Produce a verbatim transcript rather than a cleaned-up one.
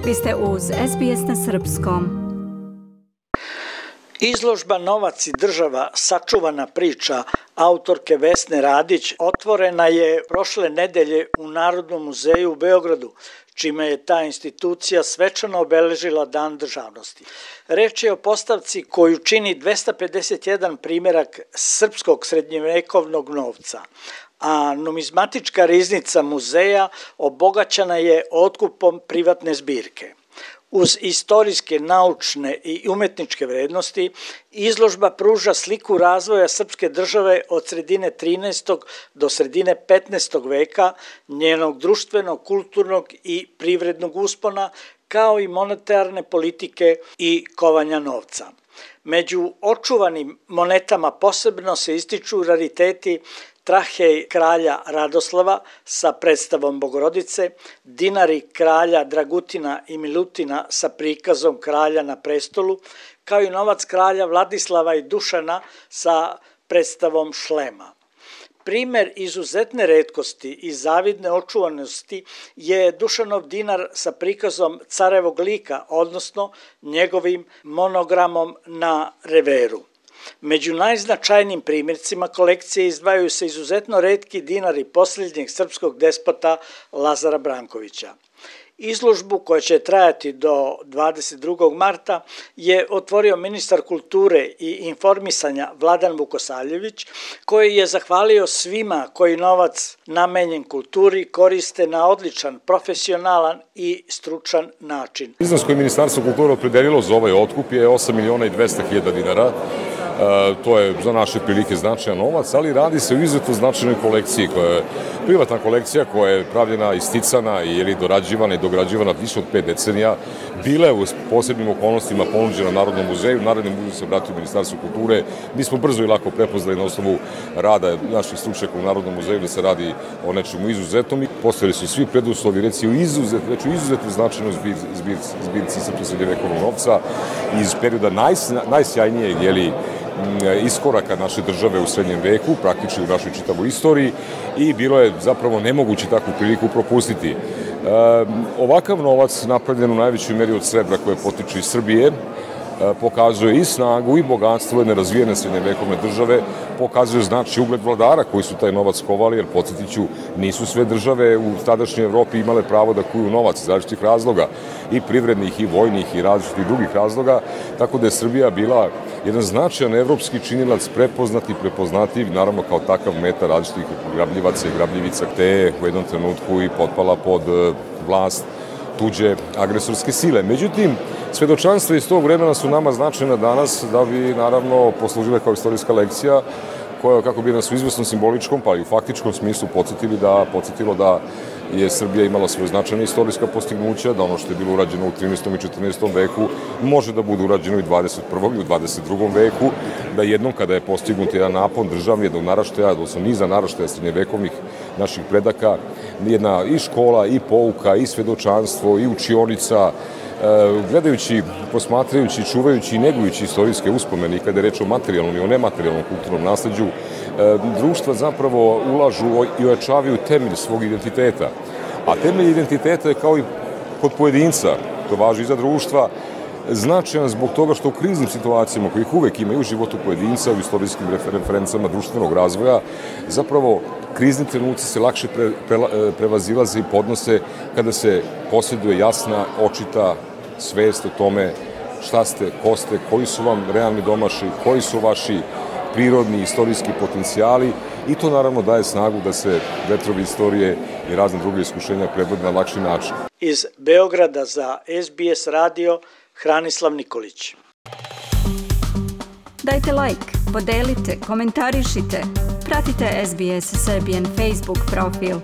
Vi ste uz S B S na srpskom. Izložba Novac i država, sačuvana priča autorke Vesne Radić otvorena je prošle nedelje u Narodnom muzeju u Beogradu, čime je ta institucija svečano obeležila Dan državnosti. Reč je o postavci koju čini dvesta pedeset jedan primjerak srpskog srednjevekovnog novca, a numizmatička riznica muzeja obogaćena je otkupom privatne zbirke. Uz istorijske, naučne i umetničke vrednosti, izložba pruža sliku razvoja srpske države od sredine trinaestog do sredine petnaestog veka, njenog društvenog, kulturnog i privrednog uspona, kao i monetarne politike i kovanja novca. Među očuvanim monetama posebno se ističu rariteti trahej kralja Radoslava sa predstavom Bogorodice, dinari kralja Dragutina i Milutina sa prikazom kralja na prestolu, kao i novac kralja Vladislava i Dušana sa predstavom šlema. Primer izuzetne retkosti i zavidne očuvanosti je Dušanov dinar sa prikazom carevog lika, odnosno njegovim monogramom na reveru. Među najznačajnijim primjercima kolekcije izdvajaju se izuzetno retki dinari posljednjeg srpskog despota Lazara Brankovića. Izložbu, koja će trajati do dvadeset drugog marta, je otvorio ministar kulture i informisanja Vladan Vukosavljević, koji je zahvalio svima koji novac namenjen kulturi koriste na odličan, profesionalan i stručan način. Iznos koji Ministarstvo kulture opredelilo za ovaj otkup je osam miliona i dvesta hiljada dinara. E, to je za naše prilike značajan novac, ali radi se o izuzetno značajnoj kolekciji, koja je privatna kolekcija koja je pravljena, isticana i je dorađivana i dograđivana više od pet decenija, bila je u posebnim okolnostima ponuđena Narodnom muzeju. Narodni muzej se obratio Ministarstvu kulture. Mi smo brzo i lako prepoznali na osnovu rada naših stručnjaka u Narodnom muzeju da se radi o nečemu izuzetnom i postojali su svi preduslovi, reci o izuzet, reći o izuzetno značajnoj zbirci, zbirci srpskog srednjevekovnog novca iz perioda naj, najsjajnijeg jeli, iskoraka naše države u srednjem veku, praktično u našoj čitavoj istoriji, i bilo je zapravo nemoguće takvu priliku propustiti. E, ovakav novac, napravljen u najvećoj meri od srebra koje potiče iz Srbije, pokazuje i snagu i bogatstvo jedne razvijene srednjevekovne države, pokazuje znači ugled vladara koji su taj novac kovali, jer podsjetit ću, nisu sve države u tadašnjoj Evropi imale pravo da kuju novac iz različitih razloga, i privrednih, i vojnih, i različitih drugih razloga, tako da je Srbija bila jedan značajan evropski činilac, prepoznat i prepoznativ, naravno kao takav meta različitih grabljivaca i grabljivica, te je u jednom trenutku i potpala pod vlast tuđe agresorske sile. Međutim, svedočanstva iz tog vremena su nama značajna danas da bi naravno poslužile kao istorijska lekcija koja, kako bi nas u izvesnom simboličkom pa i u faktičkom smislu podsjetili da, podsjetilo da je Srbija imala svoje značajne istorijska postignuća, da ono što je bilo urađeno u trinaestom i četrnaestom veku može da bude urađeno i u dvadeset prvom i u dvadeset drugom veku, da jednom kada je postignut jedan napon državni, jednog naraštaja, odnosno niza naraštaja srednjevekovnih naših predaka, jedna i škola, i pouka, i svedočanstvo, i učionica, gledajući, posmatrajući, čuvajući i negujući istorijske uspomene i kada je reč o materijalnom i o nematerijalnom kulturnom nasleđu, društva zapravo ulažu i ojačavaju temelj svog identiteta. A temelj identiteta je kao i kod pojedinca, to važi i za društva, značajan zbog toga što u kriznim situacijama, kojih uvek ima i u životu pojedinca, u istorijskim referencama društvenog razvoja, zapravo krizni trenuci se lakše pre, pre, prevazilaze i podnose kada se posjeduje jasna, očita svest o tome šta ste, ko ste, koji su vam realni domaši, koji su vaši prirodni istorijski potencijali, i to naravno daje snagu da se vetrovi istorije i razne druge iskušenja prebrode na lakši način. Iz Beograda za S B S radio Hranislav Nikolić. Dajte like, podelite, komentarišite, pratite S B S Serbian Facebook profil.